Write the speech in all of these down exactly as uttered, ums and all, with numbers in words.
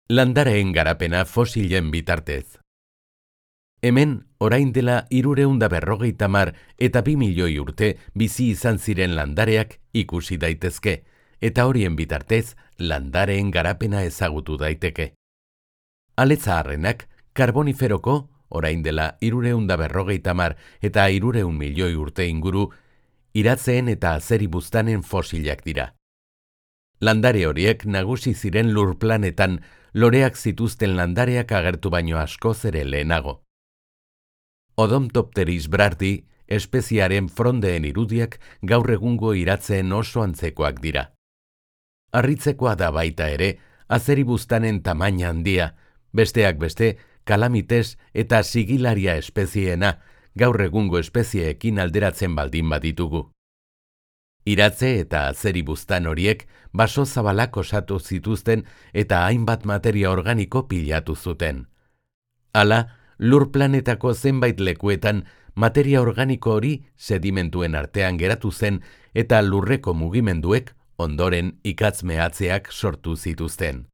Landareen garapena fosilen bitartez. Hemen, orain dela hirurehun eta berrogeita hamar eta bi milioi urte bizi izan ziren landareak ikusi daitezke, eta horien bitartez landareen garapena ezagutu daiteke. Aletzaharrenak karboniferoko, orain dela hirurehun eta berrogeita hamar eta hirurehun milioi urte inguru, iratzeen eta azeribuztanen fosilak dira. Landare horiek nagusi ziren lur planetan loreak zituzten landareak agertu baino askoz ere lehenago. Odontopteris brardi espeziaren frondeen irudiak gaur egungo iratzeen oso antzekoak dira. Harritzekoa da baita ere, azeribuztanen tamaina handia, besteak beste, kalamites eta sigilaria espezieena gaur egungo espezieekin alderatzen baldin baditugu. Iratze eta azeribuztan horiek baso zabalak osatu zituzten eta hainbat materia organiko pilatu zuten. Hala, lur planetako zenbait lekuetan materia organiko hori sedimentuen artean geratu zen eta lurreko mugimenduek ondoren ikatz mehatzeak sortu zituzten.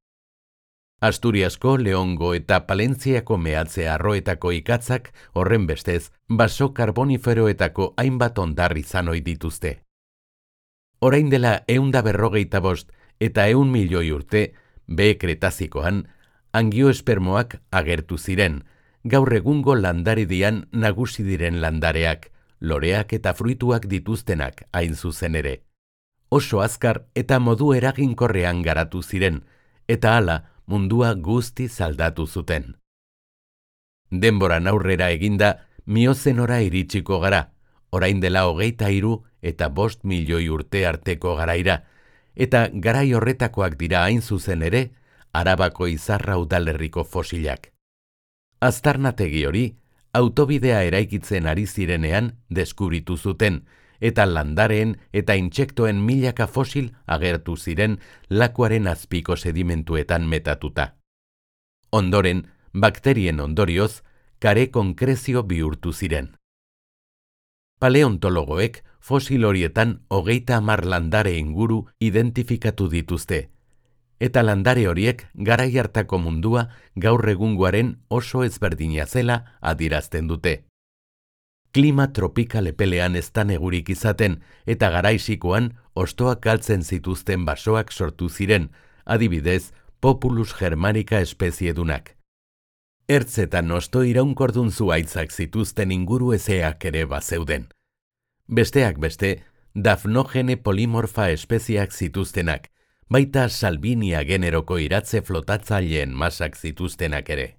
Asturiasko, Leongo eta Palentziako mehatze arroetako ikatzak horren bestez baso karboniferoetako hainbat ondar izan ohi dituzte. Orain dela ehun eta berrogeita bost eta ehun milioi urte, B Kretazikoan, angioespermoak agertu ziren, gaur egungo landaridian nagusi diren landareak, loreak eta fruituak dituztenak hain zuzen ere. Oso azkar eta modu eraginkorrean garatu ziren, eta hala mundua guztiz aldatu zuten. Denboran aurrera eginda, miozenora iritsiko gara, orain dela hogeita hiru eta bost milioi urte arteko garaira, eta garai horretakoak dira hain zuzen ere, Arabako Izarra udalerriko fosilak. Aztarnategi hori, autobidea eraikitzen ari zirenean deskubritu zuten, eta landareen eta intsektoen milaka fosil agertu ziren lakuaren azpiko sedimentuetan metatuta. Ondoren, bakterien ondorioz, kare konkrezio bihurtu ziren. Paleontologoek fosil horietan hogeita hamar landare inguru identifikatu dituzte, eta landare horiek garai hartako mundua gaur egungoaren oso ezberdina zela adierazten dute. Klima tropikal epelean ez da negurik izaten eta garaixikoan hostoak galtzen zituzten basoak sortu ziren, adibidez Populus germanica espeziedunak. Ertzetan hosto iraunkordun zuhaitzak zituzten inguru ezeak ere bazeuden. Besteak beste, Daphnogene polimorfa espeziak zituztenak, baita Salvinia generoko iratze flotatzaileen masak zituztenak ere.